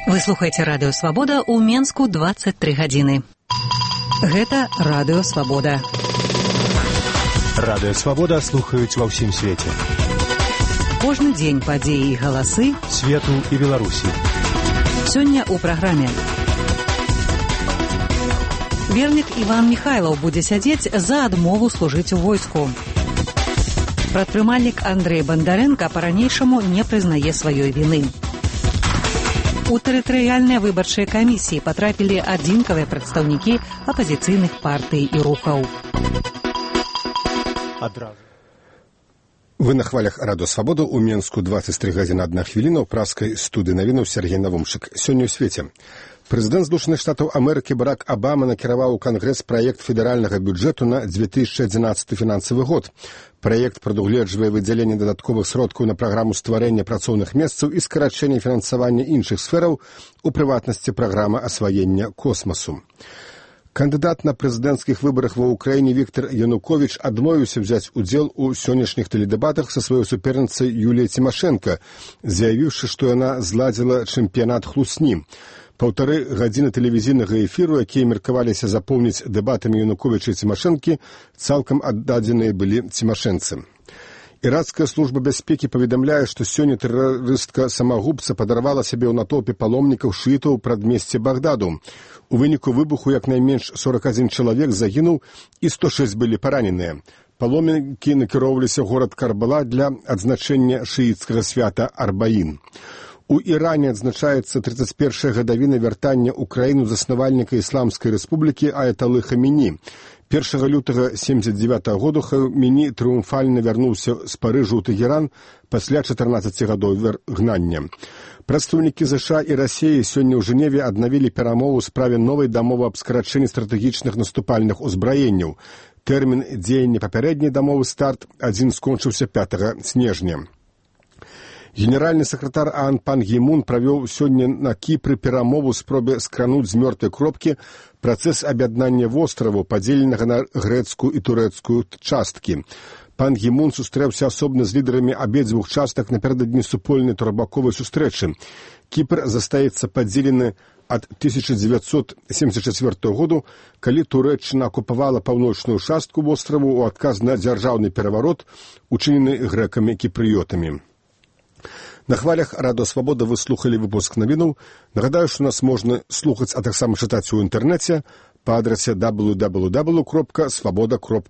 Вы слухаеце Радыё Свабода ў Менску 23 гадзіны. Гэта Радыё Свабода. Радыё Свабода слухаюць ва ўсім свеце. Кожны дзень падзеі і галасы свету і Беларусі. Сёння ў праграме. Вернік Іван Міхайлаў будзе сядзець за адмову служыць у войску. Прадпрымальнік Андрэй Бандарэнка па-ранейшаму не прызнае сваёй віны. У тэрытарыяльныя выбарчыя камісіі патрапілі адзінкавыя прадстаўнікі апазіцыйных партый і рухаў. Вы на хвалях Радыё Свабода ў Менску 23 гадзіны 1 хвіліна ў праскай студыі навінаў Сергей Навумчык. Сёння ў свеце. Прэзідэнт Злучаных Штатаў Амерыкі Барак Абама накіраваў у Кангрэс праект федэральнага бюджэту на 2011 фінансавы год. Праект прадугледжвае выдзяленне дадатковых сродкаў на праграму стварэння працоўных месцаў і скарачэння фінансавання іншых сфераў, у прыватнасці праграма асваення космасу. Кандыдат на прэзідэнцкіх выбарах ва ўкраіне Віктор Януковіч адмовіўся взяць удзел у сённяшніх тэледэбатах са сваёй суперніцай Юліяй Цімашэнка, заявіўшы, што яна зладзіла чэмпіянат хлусні. 1,5 гадзіны тэлевізійнага эфіру, якія меркаваліся запоўніць дэбатамі Януковіча і Цімашэнкі, цалкам аддадзеныя былі цімашэнцы. Іракская служба бяспекі паведамляе, што сёння тэрарыстка-самагубца падарвала сябе ў натоўпе паломнікаў шыітаў у прадмесці Багдаду. У выніку выбуху як найменш 41 чалавек загінуў і 106 былі параненыя. Паломнікі накіроўваліся ў горад Карбала для адзначэння шыіцкага свята Арбаін. У Іране адзначаецца 31-я гадавіна вяртання ў краіну заснавальніка Ісламскай рэспублікі Аяталы Хамені. 1 лютага 1979 году Хамені трыумфальна вярнуўся з Парыжа ў Тэгеран пасля 14 гадоў гнання. Прадстаўнікі ЗША і Расіі сёння ў Жэневе аднавілі перамову ў справе новай дамовы аб скарачэнні стратэгічных наступальных узбраенняў. Тэрмін дзеяння папярэдняй дамовы «Старт» адзін скончыўся 5 снежня. Генеральны сакратар ААН Пан Гі Мун правёў сёння на Кіпры перамову спробе скрануць з мёртвай кропкі працэс аб'яднання востраву, падзеленага на грэцкую і турэцкую часткі. Пан Гі Мун сустрэўся асобна з лідарамі абедзвюх частак напярэдадні супольнай турбаковай сустрэчы. Кіпр застаецца падзелены ад 1974 году, калі Турэччына акупавала паўночную частку востраву ў адказ на дзяржаўны пераварот, учынены грэкамі-кіпрыётамі. На хвалях Радыё Свабода вы слухалі выпуск навінаў. Нагадаю, што нас можна слухаць, а таксама чытаць у інтэрнэце па адрасе www.swaboda.org.